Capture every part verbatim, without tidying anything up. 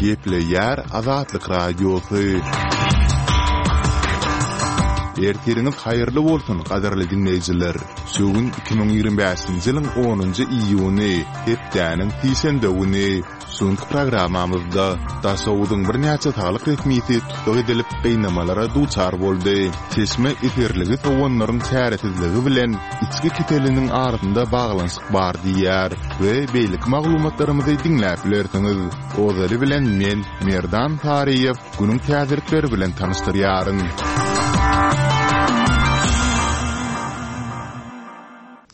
Gepleýär Azatlyk Radiosy. Ertiriňiz haýyrly bolsun, gadyrly diňleýjiler! Şu gün iki müň ýigrimi bäşinji ýylyň onunjy iýuny, hepdäniň sişenbe güni. Şu günki programmamyzda Daşoguzyň birnäçe saglyk resmisi tussag edilip, gynamalara duçar boldy. Çeşme eserligi sowanlaryň çäresizligi bilen içgi keseliniň arasynda baglanyşyk bar diýýär we beýleki maglumatlarymyzy diňläp bilersiňiz. Ozaly bilen men, Merdan Saryýew, günüň täzelikleri bilen tanyşdyrýaryn.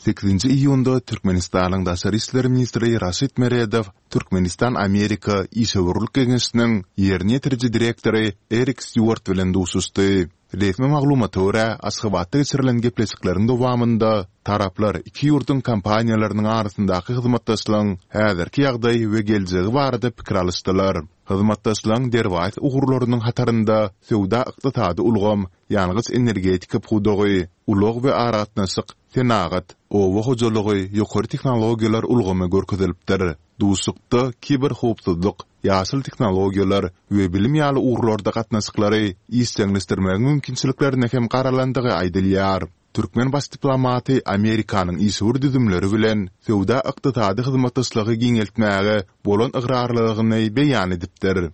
Sekizinji iýunda Türkmenistanyň daşary işler ministri Raşid Meredow Türkmenistan-Amerika işewürlik geňeşiniň ýerine ýetiriji direktory Erik Stýuart bilen duşuşdy. Resmi maglumata görä, Aşgabatda geçirilen gepleşikleriň dowamynda taraplar iki ýurduň kompaniýalarynyň arasyndaky hyzmatdaşlygyň häzirki ýagdaýy we geljegi barada pikir alyşdylar. Hyzmatdaşlygyň derwaýys ugurlarynyň hatarynda söwda-ykdysady ulgam, ýangyç-energetika pudagy, ulag we aragatnaşyk, senagat, oba hojalygy, ýokary tehnologiýalar ulgamy görkezilipdir. Duşuşykda kiberhowpsuzlyk, ýaşyl tehnologiýalar we bilim ýaly ugurlarda gatnaşyklary işjeňleşdirmegiň mümkinçiliklerine hem garalandygy aýdylýar. Türkmen baş diplomaty Amerikanyň işewür düzümleri bilen söwda-ykdysady hyzmatdaşlygy giňeltmäge bolan ygrarlylygyny beýan edipdir.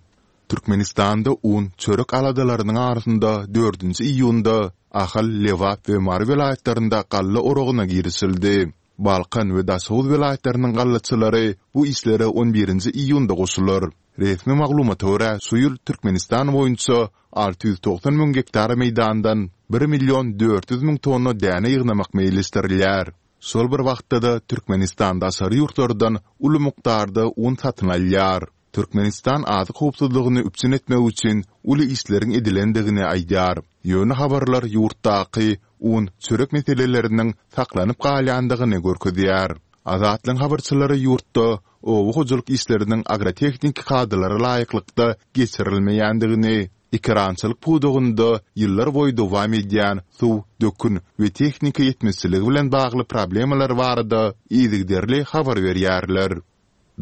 Türkmenistanda un, çörek aladalarynyň arasynda dördünji iýunda Ahal, Lebap we Mary welaýatlarynda galla oragyna girişildi. Balkan we Daşoguz welaýatlarynyň gallaçylary bu işlere on birinji iýunda goşular. Resmi maglumata görä, şu ýyl Türkmenistan boýunça alty ýüz togsan müň gektar meýdandan bir million dört ýüz müň tonna däne ýygnamak meýilleşdirilýär. Şol bir wagtda-da, Türkmenistan daşary ýurtlardan uly mukdarda un satyn alýar. Türkmenistan azyk howpsuzlygyny üpjün etmek üçin uly işleriň edilendigini aýdýar. Ýöne habarlar ýurtdaky un, çörek meseleleriniň saklanyp galýandygyny görkezýär. Azatlygyň habarçylary ýurtda oba hojalyk işleriniň agrotehniki kadalara laýyklykda geçirilmeýändigini, ekerançylyk pudagynda ýyllarboýy dowam edýän suw, dökün we tehnika ýetmezçiligi bilen bagly problemalar barada yzygiderli habar berýärler.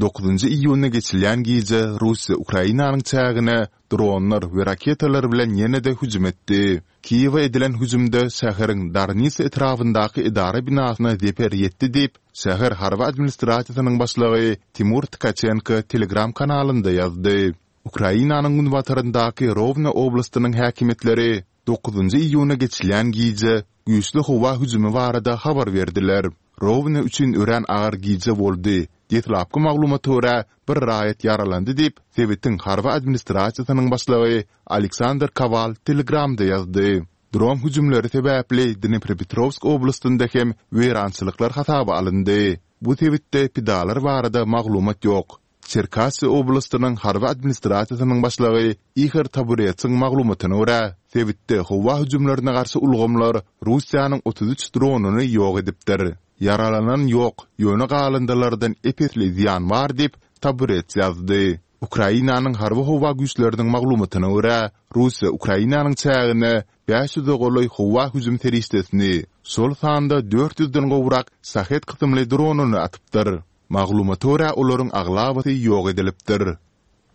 Dokuzynjy iýunda geçilýän gije Russiýa Ukrainanyň çägine dronlar we raketalar bilen ýene-de hüjüm etdi. Kiýewe edilen hüjümde şäheriň Darnisa etrabyndaky edara binasyna zeper ýetdi diýip, şäher harby administrasiýasynyň başlygy Timur Tkaçenko Telegram kanalynda ýazdy. Ukrainanyň günbataryndaky Rowno oblastynyň häkimiýetleri dokuzynjy iýuna geçilýän gije güýçli howa hüjümi barada habar berdiler. Rowno üçin örän agyr gije boldy. Deslapky maglumata görä, bir raýat ýaralandy diýip, sebitiň harby administrasiýasynyň başlygy Aleksandr Kowal Telegramda ýazdy. Dron hüjümleri sebäpli Dnepropetrowsk oblastynda hem weýrançylyklar hasaba alyndy. Bu sebitde pidalar barada maglumat ýok. Çerkassy oblastynyň harby administrasiýasynyň başlygy Ihor Taburetsiň maglumatyna görä, sebitde howa hüjümlerine garşy ulgamlar Russiýanyň otuz üç dronyny ýok edipdir. Ýaralanan ýok, ýöne galyndylardan ep-esli zyýan bar diýip, Taburets ýazdy. Ukrainanyň harby-howa güýçleriniň maglumatyna görä, Russiýa Ukrainanyň çägine bäş ýüze golaý howa hüjüm serişdesini, şol sanda dört ýüzden gowrak Şahed kysymly dronyny atypdyr. Maglumata görä, olaryň aglabasy ýok edilipdir.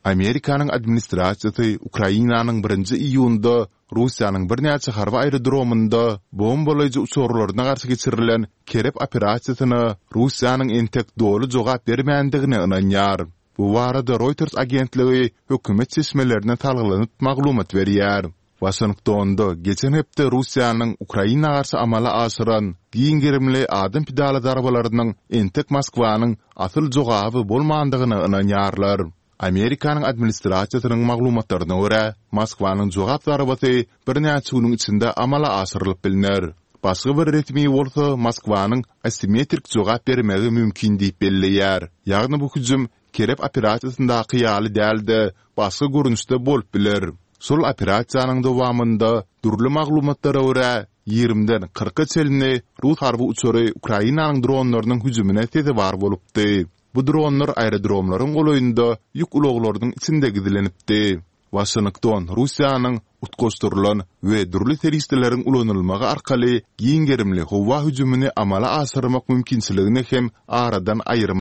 Amerikanyň administrasiýasy Ukrainanyň birinji iýunda Russiýanyň birnäçe harby aerodromynda bombalaýjy uçarlaryna garşy geçirilen Kerep operasiýasyna Russiýanyň entek doly jogap bermändigine ynanýar. Bu barada Reuters agentligi hökümet çeşmelerine salgylanyp maglumat berýär. Waşingtonda geçen hepde Russiýanyň Ukraina garşy amala aşyran giň gerimli adam pidaly zarbalarynyň entek Moskwanyň asyl jogaby bolmandygyna ynanýarlar. Amerikanyň administrasiýasynyň maglumatlaryna görä, Moskwanyň jogap zarbasy birnäçe günüň içinde amala aşyrylyp bilner. Başga bir resmi bolsa Moskwanyň asimetrik jogap bermegi mümkin diýip belleýär, ýagny bu hüjüm Kerep operasiýasyndaky ýaly däl-de, başga görnüşde bolup biler. Şol operasiýanyň dowamynda, dürli maglumatlara görä, ýigrimiden kyrka çenli rus harby uçary Ukrainanyň dronlarynyň hüjümine sezewar bolupdy. Bu dronlar aerodromlaryň golaýynda ýük ulaglarynyň içinde gizlenipdi. Waşington Russiýanyň utgaşdyrylan we dürli serişdeleriň ulanylmagy arkaly giň gerimli howa hüjümini amala aşyrmak mümkinçiligini hem aradan aýyrmaýar.